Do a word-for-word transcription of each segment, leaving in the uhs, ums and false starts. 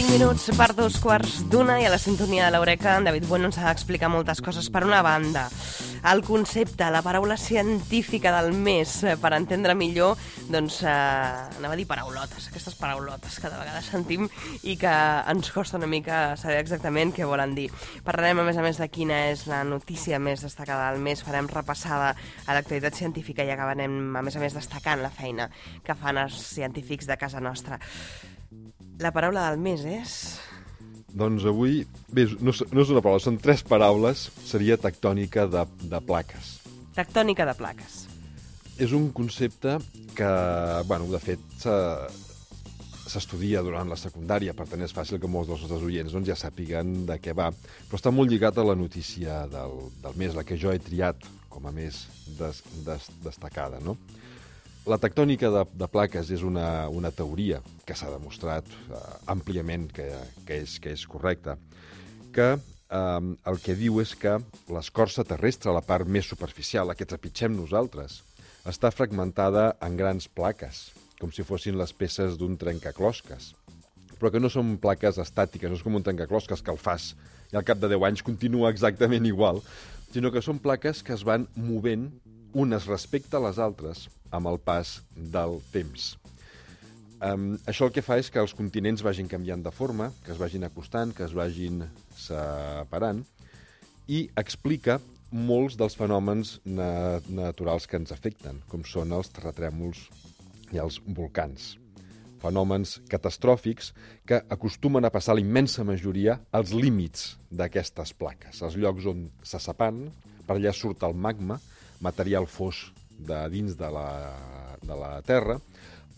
cinc minuts per dos quarts d'una i a la sintonia de l'Eureka en David Bueno ens ha d'explicar moltes coses. Per una banda, el concepte, la paraula científica del mes, per entendre millor, doncs, eh, anava a dir paraulotes, aquestes paraulotes que de vegades sentim i que ens costa una mica saber exactament què volen dir. Parlarem, a més a més, de quina és la notícia més destacada del mes, farem repassada a l'actualitat científica i acabarem, a més a més, destacant la feina que fan els científics de casa nostra. La paraula del mes és... Doncs avui, bé, no, no és una paraula, són tres paraules, seria tectònica de, de plaques. Tectònica de plaques. És un concepte que, bueno, de fet, s'estudia durant la secundària, per tant és fàcil que molts dels nostres oients doncs, ja sàpiguen de què va, però està molt lligat a la notícia del, del mes, la que jo he triat com a més des, des, destacada, no? La tectònica de, de plaques és una, una teoria que s'ha demostrat eh, àmpliament que, que, és, que és correcta, que eh, el que diu és que l'escorça terrestre, la part més superficial, la que trepitgem nosaltres, està fragmentada en grans plaques, com si fossin les peces d'un trencaclosques, però que no són plaques estàtiques, no és com un trencaclosques que el fas i al cap de deu anys continua exactament igual, sinó que són plaques que es van movent unes respecte a les altres amb el pas del temps. Um, això el que fa és que els continents vagin canviant de forma, que es vagin acostant, que es vagin separant, i explica molts dels fenòmens na naturals que ens afecten, com són els terratrèmols i els volcans. Fenòmens catastròfics que acostumen a passar la immensa majoria als límits d'aquestes plaques, als llocs on se separen, per allà surt el magma, material fos de dins de la, de la Terra,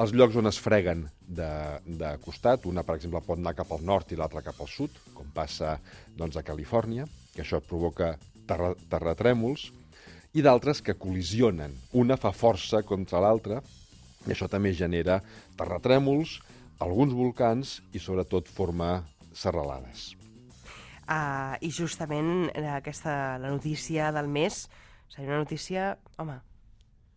els llocs on es freguen de, de costat, una, per exemple, pot anar cap al nord i l'altra cap al sud, com passa doncs, a Califòrnia, que això provoca terra, terratrèmols, i d'altres que col·lisionen. Una fa força contra l'altra, i això també genera terratrèmols, alguns volcans i, sobretot, forma serralades. Uh, I justament aquesta, la notícia del mes seria una notícia, home,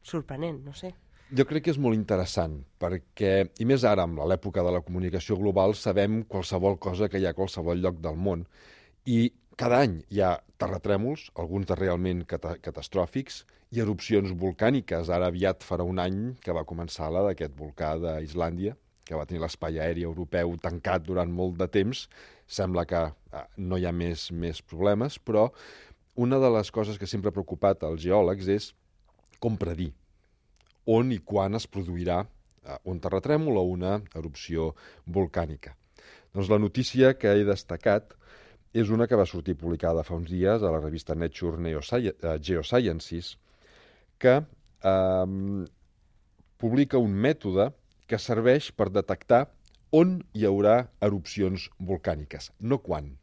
sorprenent, no sé. Jo crec que és molt interessant, perquè, i més ara, amb l'època de la comunicació global, sabem qualsevol cosa que hi ha a qualsevol lloc del món. I cada any hi ha terratrèmols, alguns de realment cata catastròfics, i erupcions volcàniques. Ara aviat farà un any que va començar la d'aquest volcà d'Islàndia, que va tenir l'espai aeri europeu tancat durant molt de temps. Sembla que eh, no hi ha més, més problemes, però una de les coses que sempre ha preocupat als geòlegs és com predir on i quan es produirà un terratrèmol o una erupció volcànica. Doncs la notícia que he destacat és una que va sortir publicada fa uns dies a la revista Nature Geosciences, que eh, publica un mètode que serveix per detectar on hi haurà erupcions volcàniques, no quan.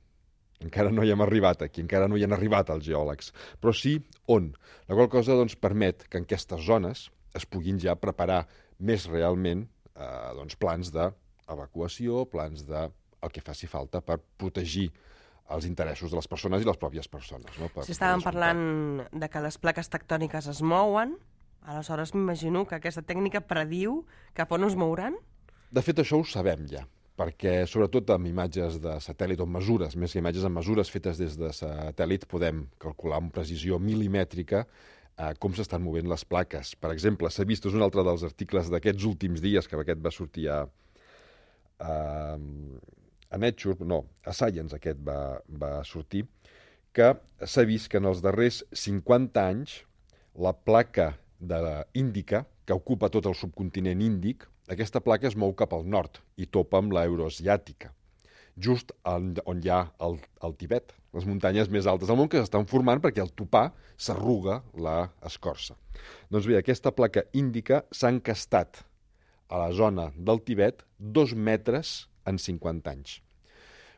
Encara no hi hem arribat aquí, encara no hi han arribat els geòlegs, però sí on. La qual cosa doncs, permet que en aquestes zones es puguin ja preparar més realment eh, doncs, plans d'evacuació, plans de el que faci falta per protegir els interessos de les persones i les pròpies persones. No? Per, si estàvem parlant de que les plaques tectòniques es mouen, aleshores m'imagino que aquesta tècnica prediu cap on es mouran? De fet, això ho sabem ja, perquè sobretot amb imatges de satèl·lit o mesures, més que imatges amb mesures fetes des de satèl·lit, podem calcular amb precisió milimètrica eh, com s'estan movent les plaques. Per exemple, s'ha vist, és un altre dels articles d'aquests últims dies, que aquest va sortir a, a, a Nature, no, a Science aquest va, va sortir, que s'ha vist que en els darrers cinquanta anys la placa de Índica, que ocupa tot el subcontinent índic, aquesta placa es mou cap al nord i topa amb l'euroasiàtica, just on, on hi ha el, el Tibet, les muntanyes més altes del món que s'estan formant perquè al topar s'arruga l'escorça. Doncs bé, aquesta placa índica s'ha encastat a la zona del Tibet dos metres en cinquanta anys.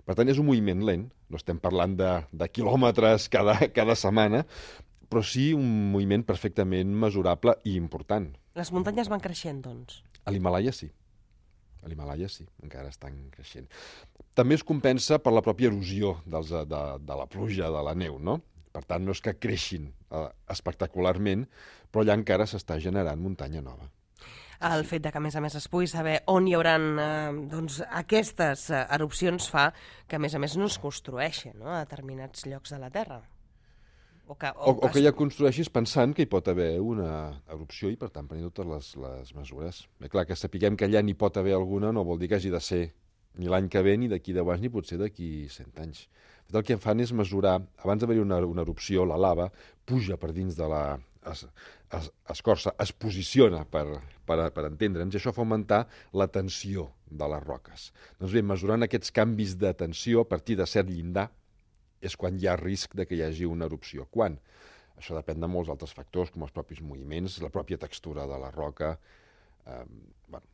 Per tant, és un moviment lent, no estem parlant de, de quilòmetres cada, cada setmana, però sí un moviment perfectament mesurable i important. Les muntanyes van creixent, doncs? A l'Himàlaia sí. A l'Himàlaia sí, encara estan creixent. També es compensa per la pròpia erosió dels, de, de la pluja, de la neu, no? Per tant, no és que creixin eh, espectacularment, però allà encara s'està generant muntanya nova. El fet de que, a més a més, es pugui saber on hi haurà eh, doncs, aquestes eh, erupcions fa que, a més a més, no es construeixin, no?, a determinats llocs de la Terra. O que, o, o que ja construeixis pensant que hi pot haver una erupció i, per tant, prenent totes les, les mesures. Bé, clar, que sapiguem que allà n'hi pot haver alguna no vol dir que hagi de ser ni l'any que ve, ni d'aquí deu anys, ni potser d'aquí cent anys. El que fan és mesurar, abans d'haver-hi una, una erupció, la lava puja per dins de la es, es, escorça, es posiciona per, per, per entendre'ns, i això fa augmentar la tensió de les roques. Doncs bé, mesurant aquests canvis de tensió a partir de cert llindar és quan hi ha risc de que hi hagi una erupció. Quan? Això depèn de molts altres factors, com els propis moviments, la pròpia textura de la roca. Eh, bueno.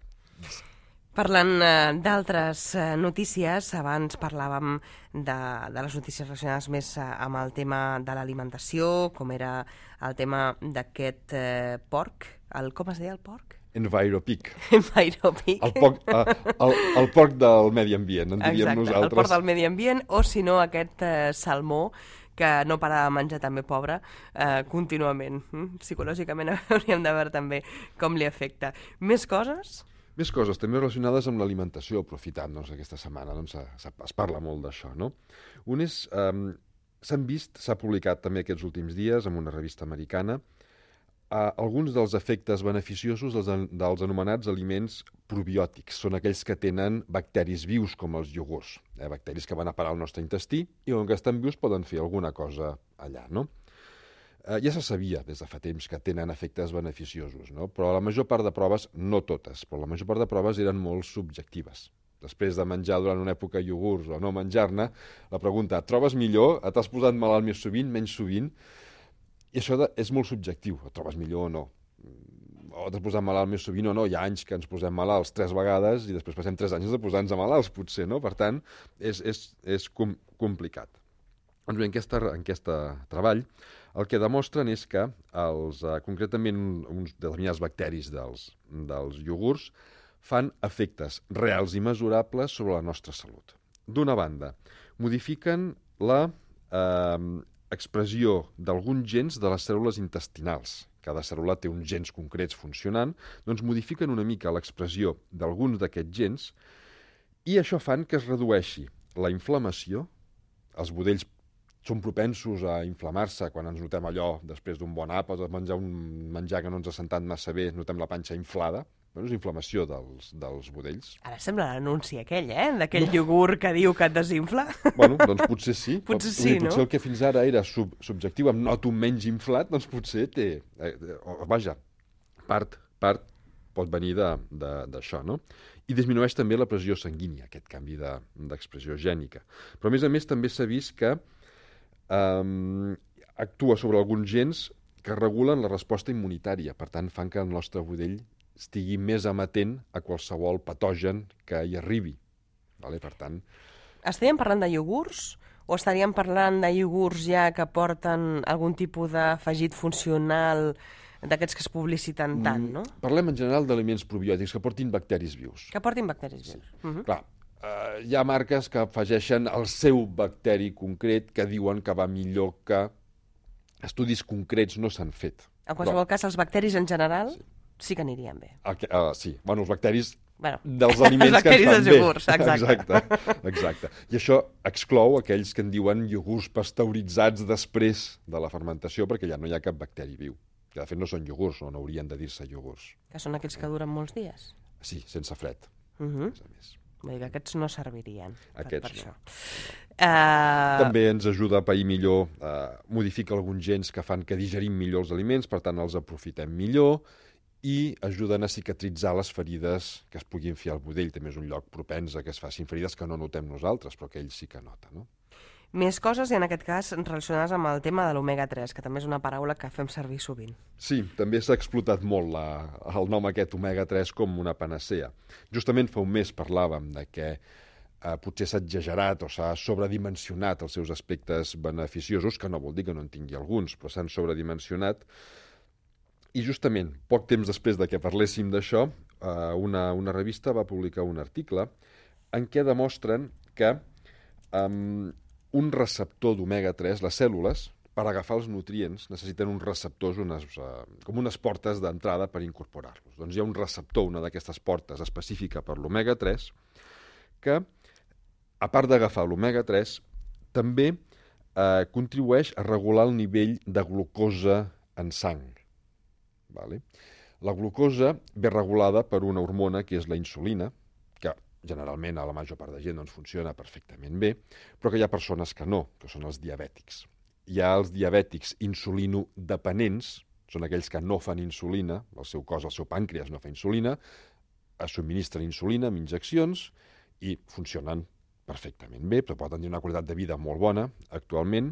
Parlant eh, d'altres eh, notícies, abans parlàvem de, de les notícies relacionades més eh, amb el tema de l'alimentació, com era el tema d'aquest eh, porc, el, com es deia el porc? Enviropic. Enviropic. El porc, eh, el, el porc del medi ambient, en diríem Exacte, nosaltres. El porc del medi ambient, o si no aquest eh, salmó que no para de menjar també, pobre, eh, contínuament. Mm? Psicològicament hauríem de veure també com li afecta. Més coses? Més coses, també relacionades amb l'alimentació, aprofitant doncs, aquesta setmana, doncs, es, es parla molt d'això, no? Un és, eh, s'han vist, s'ha publicat també aquests últims dies en una revista americana, eh, alguns dels efectes beneficiosos dels, dels anomenats aliments probiòtics. Són aquells que tenen bacteris vius, com els iogurts, eh, bacteris que van a parar al nostre intestí i on que estan vius poden fer alguna cosa allà, no? Eh, ja se sabia des de fa temps que tenen efectes beneficiosos, no? Però la major part de proves, no totes, però la major part de proves eren molt subjectives. Després de menjar durant una època iogurts o no menjar-ne, la pregunta, et trobes millor? Et has posat malalt més sovint, menys sovint? I això de, és molt subjectiu, et trobes millor o no. O t'has posat malalt més sovint o no. Hi ha anys que ens posem malalts tres vegades i després passem tres anys de posar-nos malalts, potser, no? Per tant, és, és, és com, complicat. Doncs bé, en aquest en aquesta treball el que demostren és que els, eh, concretament uns determinats bacteris dels, dels iogurts fan efectes reals i mesurables sobre la nostra salut. D'una banda, modifiquen la eh, expressió d'alguns gens de les cèl·lules intestinals. Cada cèl·lula té uns gens concrets funcionant, doncs modifiquen una mica l'expressió d'alguns d'aquests gens i això fan que es redueixi la inflamació, els budells són propensos a inflamar-se quan ens notem allò després d'un bon àpat o de menjar un menjar que no ens ha sentat massa bé, notem la panxa inflada. Bueno, és inflamació dels, dels budells. Ara sembla l'anunci aquell, eh? D'aquell iogurt que diu que et desinfla. Bueno, doncs potser sí. Potser sí, potser no? el que fins ara era sub, subjectiu, em noto menys inflat, doncs potser té... Eh, vaja, part, part pot venir d'això, no? I disminueix també la pressió sanguínia, aquest canvi d'expressió de, gènica. Però, a més a més, també s'ha vist que Um, actua sobre alguns gens que regulen la resposta immunitària, per tant fan que el nostre budell estigui més amatent a qualsevol patogen que hi arribi. Vale? Per tant... Estaríem parlant de iogurts o estaríem parlant de iogurts ja que porten algun tipus d'afegit funcional d'aquests que es publiciten tant, no? Mm, parlem en general d'aliments probiòtics que portin bacteris vius. Que portin bacteris vius. Sí. Uh-huh. Clar, Uh, hi ha marques que afegeixen el seu bacteri concret que diuen que va millor, que estudis concrets no s'han fet. En qualsevol Però... cas, els bacteris en general sí, sí que anirien bé. Que, uh, sí, bueno, els bacteris bueno, dels aliments que ens fan bé. Iogurts, exacte. exacte. Exacte. I això exclou aquells que en diuen iogurts pasteuritzats després de la fermentació, perquè ja no hi ha cap bacteri viu. Que de fet no són iogurts, no, no haurien de dir-se iogurts. Que són aquells que duren molts dies? Sí, sense fred. Uh-huh. A més a més. Vull dir que aquests no servirien aquests per, per no. això. Uh... També ens ajuda a pair millor, uh, modifica alguns gens que fan que digerim millor els aliments, per tant els aprofitem millor i ajuden a cicatritzar les ferides que es puguin fer al budell. També és un lloc propens a que es facin ferides que no notem nosaltres, però que ell sí que nota, no? Més coses, i en aquest cas relacionades amb el tema de l'omega tres, que també és una paraula que fem servir sovint. Sí, també s'ha explotat molt la, el nom aquest omega tres com una panacea. Justament fa un mes parlàvem de que eh, potser s'ha exagerat o s'ha sobredimensionat els seus aspectes beneficiosos, que no vol dir que no en tingui alguns, però s'han sobredimensionat. I justament, poc temps després de que parléssim d'això, eh, una, una revista va publicar un article en què demostren que... Eh, un receptor d'omega tres, les cèl·lules, per agafar els nutrients necessiten uns receptors, unes, uh, com unes portes d'entrada per incorporar-los. Doncs hi ha un receptor, una d'aquestes portes específica per l'omega tres, que, a part d'agafar l'omega tres, també eh, contribueix a regular el nivell de glucosa en sang. Vale? La glucosa ve regulada per una hormona que és la insulina, que generalment a la major part de gent doncs, funciona perfectament bé, però que hi ha persones que no, que són els diabètics. Hi ha els diabètics insulinodependents, són aquells que no fan insulina, el seu cos, el seu pàncreas no fa insulina, es subministren insulina amb injeccions i funcionen perfectament bé, però poden tenir una qualitat de vida molt bona actualment.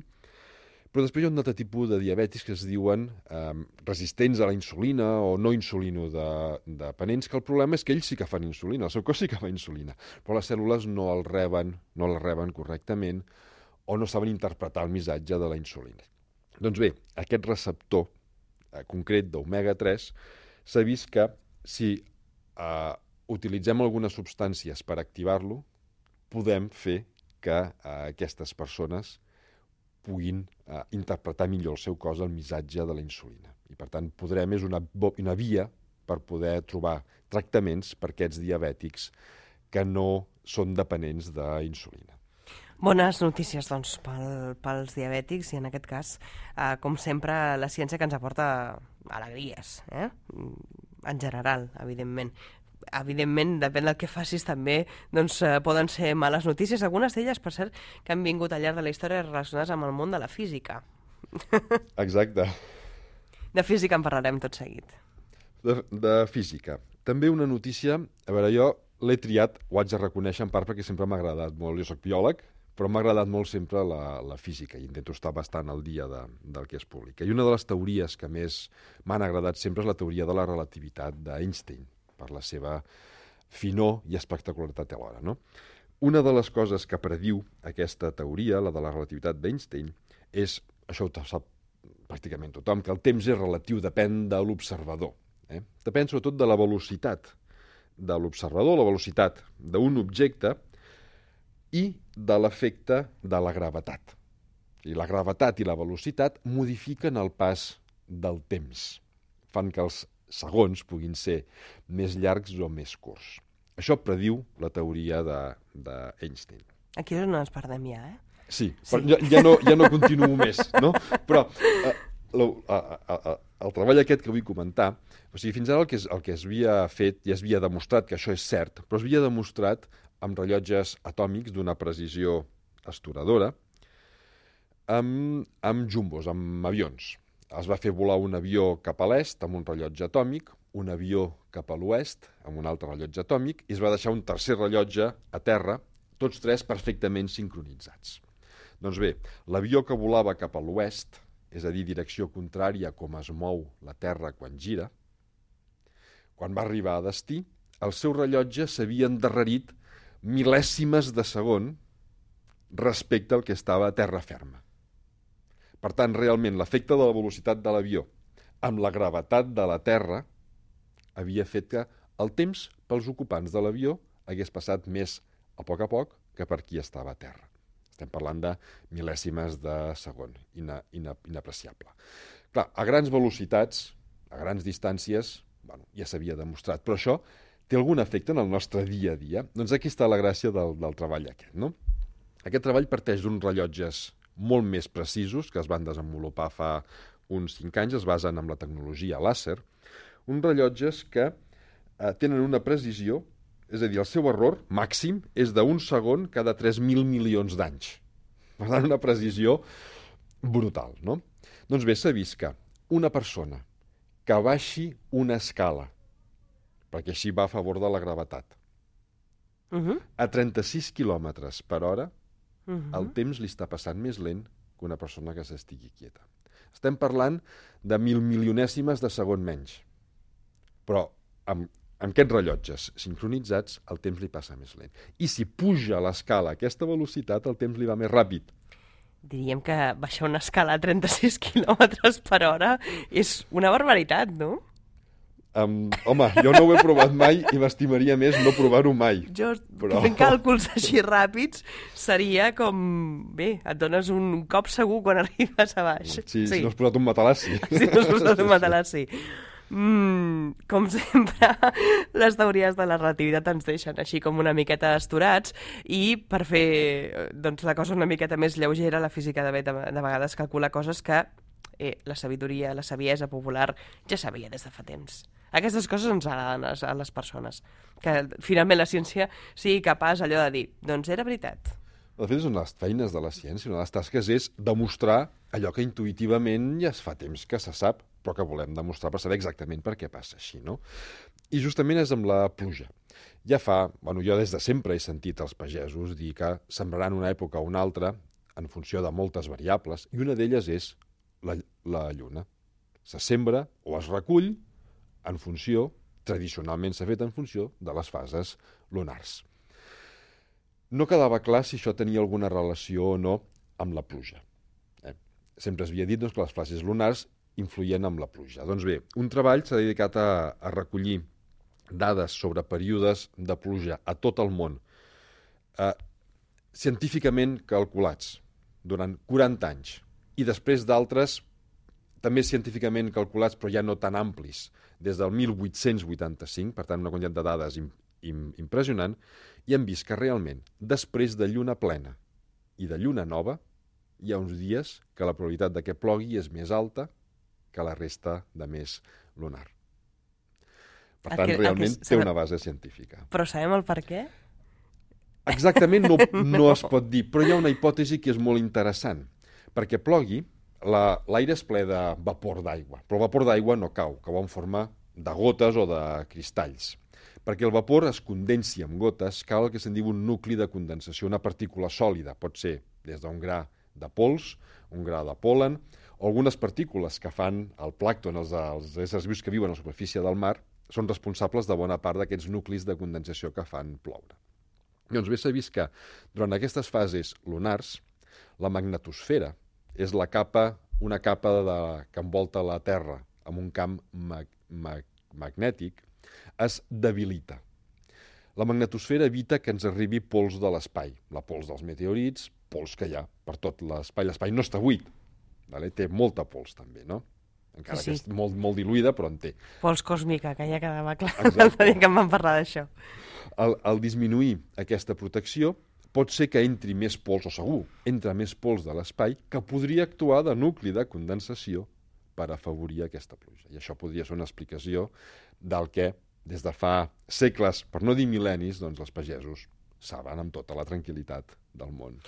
Però després hi ha un altre tipus de diabètics que es diuen eh, resistents a la insulina o no insulinodependents, que el problema és que ells sí que fan insulina, el seu cos sí que fa insulina, però les cèl·lules no el reben, no la reben correctament o no saben interpretar el missatge de la insulina. Doncs bé, aquest receptor eh, concret d'omega tres s'ha vist que si eh, utilitzem algunes substàncies per activar-lo, podem fer que eh, aquestes persones puguin eh, interpretar millor el seu cos el missatge de la insulina. I, per tant, podrem, és una, una via per poder trobar tractaments per aquests diabètics que no són dependents d'insulina. Bones notícies, doncs, pel, pels diabètics i, en aquest cas, eh, com sempre, la ciència que ens aporta alegries, eh? En general, evidentment. Evidentment, depèn del que facis també, doncs eh, poden ser males notícies, algunes d'elles, per cert, que han vingut al llarg de la història relacionades amb el món de la física. Exacte. De física en parlarem tot seguit. De, de física. També una notícia, a veure, jo l'he triat, ho haig de reconèixer en part perquè sempre m'ha agradat molt, jo soc biòleg, però m'ha agradat molt sempre la, la física i intento estar bastant al dia de, del que es publica. I una de les teories que més m'han agradat sempre és la teoria de la relativitat d'Einstein, per la seva finor i espectacularitat alhora, no? Una de les coses que prediu aquesta teoria, la de la relativitat d'Einstein, és, això ho sap pràcticament tothom, que el temps és relatiu, depèn de l'observador. Eh? Depèn sobretot de la velocitat de l'observador, la velocitat d'un objecte i de l'efecte de la gravetat. I la gravetat i la velocitat modifiquen el pas del temps, fan que els segons puguin ser més llargs o més curts. Això prediu la teoria d'Einstein. Aquí és on ens perdem ja, eh? Sí, sí. Ja, ja, no, ja no continuo més, no? Però eh, lo, a, a, a, el treball aquest que vull comentar, o sigui, fins ara el que, es, el que es havia fet i es havia demostrat que això és cert, però es havia demostrat amb rellotges atòmics d'una precisió astoradora, amb, amb jumbos, amb avions. Es va fer volar un avió cap a l'est amb un rellotge atòmic, un avió cap a l'oest amb un altre rellotge atòmic i es va deixar un tercer rellotge a terra, tots tres perfectament sincronitzats. Doncs bé, l'avió que volava cap a l'oest, és a dir, direcció contrària com es mou la Terra quan gira, quan va arribar a destí, el seu rellotge s'havia endarrerit mil·lèsimes de segon respecte al que estava a terra ferma. Per tant, realment, l'efecte de la velocitat de l'avió amb la gravetat de la Terra havia fet que el temps pels ocupants de l'avió hagués passat més a poc a poc que per qui estava a terra. Estem parlant de mil·lèsimes de segon, ina, ina, inapreciable. Clar, a grans velocitats, a grans distàncies, bueno, ja s'havia demostrat, però això té algun efecte en el nostre dia a dia? Doncs aquí està la gràcia del, del treball aquest, no? Aquest treball parteix d'uns rellotges molt més precisos, que es van desenvolupar fa uns cinc anys, es basen en la tecnologia làser, uns rellotges que eh, tenen una precisió, és a dir, el seu error màxim és d'un segon cada tres mil milions d'anys. Per tant, una precisió brutal, no? Doncs bé, s'ha vist que una persona que baixi una escala, perquè així va a favor de la gravetat, uh-huh. a trenta-sis quilòmetres per hora, Uh-huh. el temps li està passant més lent que una persona que s'estigui quieta. Estem parlant de mil milionèsimes de segon menys. Però amb, amb aquests rellotges sincronitzats el temps li passa més lent. I si puja l'escala a aquesta velocitat, el temps li va més ràpid. Diríem que baixar una escala a trenta-sis quilòmetres per hora és una barbaritat, no? Um, home, jo no ho he provat mai i m'estimaria més no provar-ho mai. Jo, però... fent càlculs així ràpids, seria com... Bé, et dones un cop segur quan arribes a baix. Sí, sí. Si no has posat un matalassi. Si no has posat un matalassi. Mm, com sempre, les teories de la relativitat ens deixen així com una miqueta esturats i per fer doncs, la cosa una miqueta més lleugera, la física de, de, de vegades calcula coses que eh, la sabidoria, la saviesa popular ja sabia des de fa temps. Aquestes coses ens agraden a, a les persones, que finalment la ciència sigui capaç allò de dir, doncs era veritat. De fet, són les feines de la ciència, una de les tasques és demostrar allò que intuïtivament ja es fa temps que se sap, però que volem demostrar per saber exactament per què passa així, no? I justament és amb la pluja. Ja fa, bueno, jo des de sempre he sentit els pagesos dir que sembraran una època o una altra en funció de moltes variables, i una d'elles és la, la lluna. Se sembra o es recull en funció, tradicionalment s'ha fet en funció de les fases lunars. No quedava clar si això tenia alguna relació o no amb la pluja. Eh? Sempre s'havia dit doncs, que les fases lunars influïen amb la pluja. Doncs bé, un treball s'ha dedicat a, a recollir dades sobre períodes de pluja a tot el món, eh, científicament calculats durant quaranta anys, i després d'altres també científicament calculats, però ja no tan amplis, des del mil vuit-cents vuitanta-cinc, per tant una quantitat de dades im, im, impressionant, i hem vist que realment, després de lluna plena i de lluna nova, hi ha uns dies que la probabilitat de que plogui és més alta que la resta de mes lunar. Per tant, que, realment que... té una base científica. Però sabem el per què? Exactament no, no es pot dir, però hi ha una hipòtesi que és molt interessant, perquè plogui, l'aire es ple de vapor d'aigua, però el vapor d'aigua no cau, cau en forma de gotes o de cristalls. Perquè el vapor es condensi en gotes, cal el que se'n diu un nucli de condensació, una partícula sòlida, pot ser des d'un gra de pols, un gra de pol·len, o algunes partícules que fan el plàncton, els, els éssers vius que viuen a la superfície del mar, són responsables de bona part d'aquests nuclis de condensació que fan ploure. Doncs bé, s'ha vist que durant aquestes fases lunars, la magnetosfera és la capa, una capa de, que envolta la Terra amb un camp mag, mag, magnètic, es debilita. La magnetosfera evita que ens arribi pols de l'espai, la pols dels meteorits, pols que hi ha per tot l'espai. L'espai no està buit, vale? Té molta pols també, no? Encara sí, sí. que és molt, molt diluïda, però en té. Pols còsmica, que ja quedava clar el dia que em van parlar d'això. Al, al disminuir aquesta protecció, pot ser que entri més pols, o segur, entra més pols de l'espai, que podria actuar de nucli de condensació per afavorir aquesta pluja. I això podria ser una explicació del que, des de fa segles, per no dir mil·lennis, doncs els pagesos saben amb tota la tranquil·litat del món.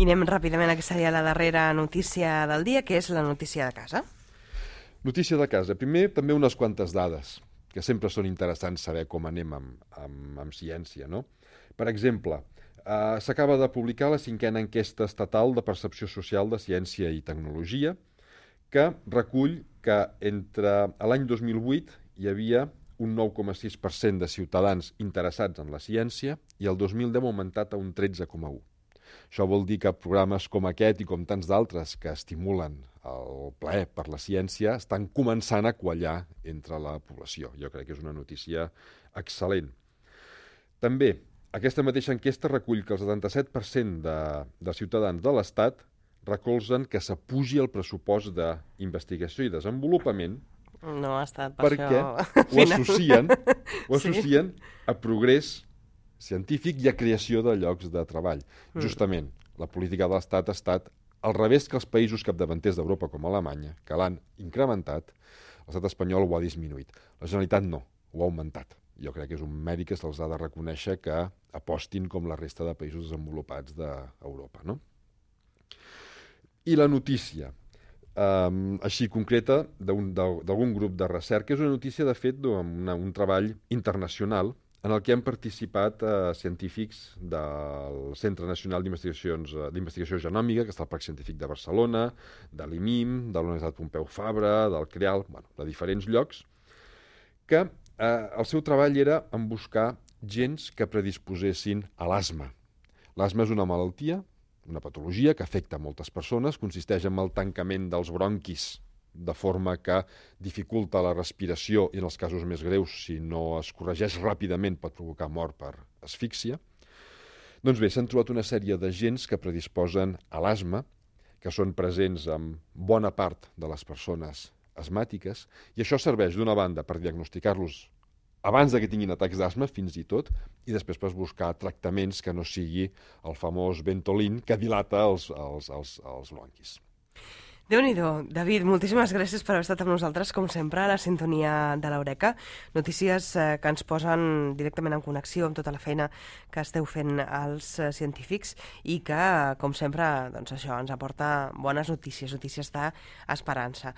I anem ràpidament a que seria la darrera notícia del dia, que és la notícia de casa. Notícia de casa. Primer, també unes quantes dades, que sempre són interessants saber com anem amb, amb, amb ciència, no? Per exemple, Uh, s'acaba de publicar la cinquena enquesta estatal de percepció social de ciència i tecnologia, que recull que entre l'any dos mil vuit hi havia un nou coma sis per cent de ciutadans interessats en la ciència i el dos mil deu ha augmentat a un tretze coma u. Això vol dir que programes com aquest i com tants d'altres que estimulen el plaer per la ciència estan començant a quallar entre la població. Jo crec que és una notícia excel·lent. També, aquesta mateixa enquesta recull que el setanta-set per cent de, de ciutadans de l'Estat recolzen que s'apugi el pressupost d'investigació i desenvolupament no ha estat per perquè això. ho associen, ho Sí. associen a progrés científic i a creació de llocs de treball. Mm. Justament, la política de l'Estat ha estat al revés que els països capdavanters d'Europa com Alemanya, que l'han incrementat, l'estat espanyol ho ha disminuït. La Generalitat no, ho ha augmentat. Jo crec que és un mèrit que se'ls ha de reconèixer que apostin com la resta de països desenvolupats d'Europa, no? I la notícia, um, així concreta, d'algun grup de recerca, és una notícia, de fet, d'un un treball internacional en el que han participat eh, científics del Centre Nacional d'Investigació Genòmica, que està al Parc Científic de Barcelona, de l'I M I M, de la Universitat Pompeu Fabra, del CREAL, bueno, de diferents llocs, que eh, el seu treball era en buscar gens que predisposessin a l'asma. L'asma és una malaltia, una patologia que afecta moltes persones, consisteix en el tancament dels bronquis de forma que dificulta la respiració i en els casos més greus, si no es corregeix ràpidament, pot provocar mort per asfíxia. Doncs bé, s'han trobat una sèrie d'agents que predisposen a l'asma, que són presents en bona part de les persones asmàtiques, i això serveix d'una banda per diagnosticar-los abans de que tinguin atacs d'asma, fins i tot, i després per buscar tractaments que no sigui el famós Ventolin que dilata els, els, els, els bronquis. Déu-n'hi-do. David, moltíssimes gràcies per haver estat amb nosaltres, com sempre, a la sintonia de l'Eureka. Notícies eh, que ens posen directament en connexió amb tota la feina que esteu fent els eh, científics i que, com sempre, doncs això ens aporta bones notícies, notícies d'esperança.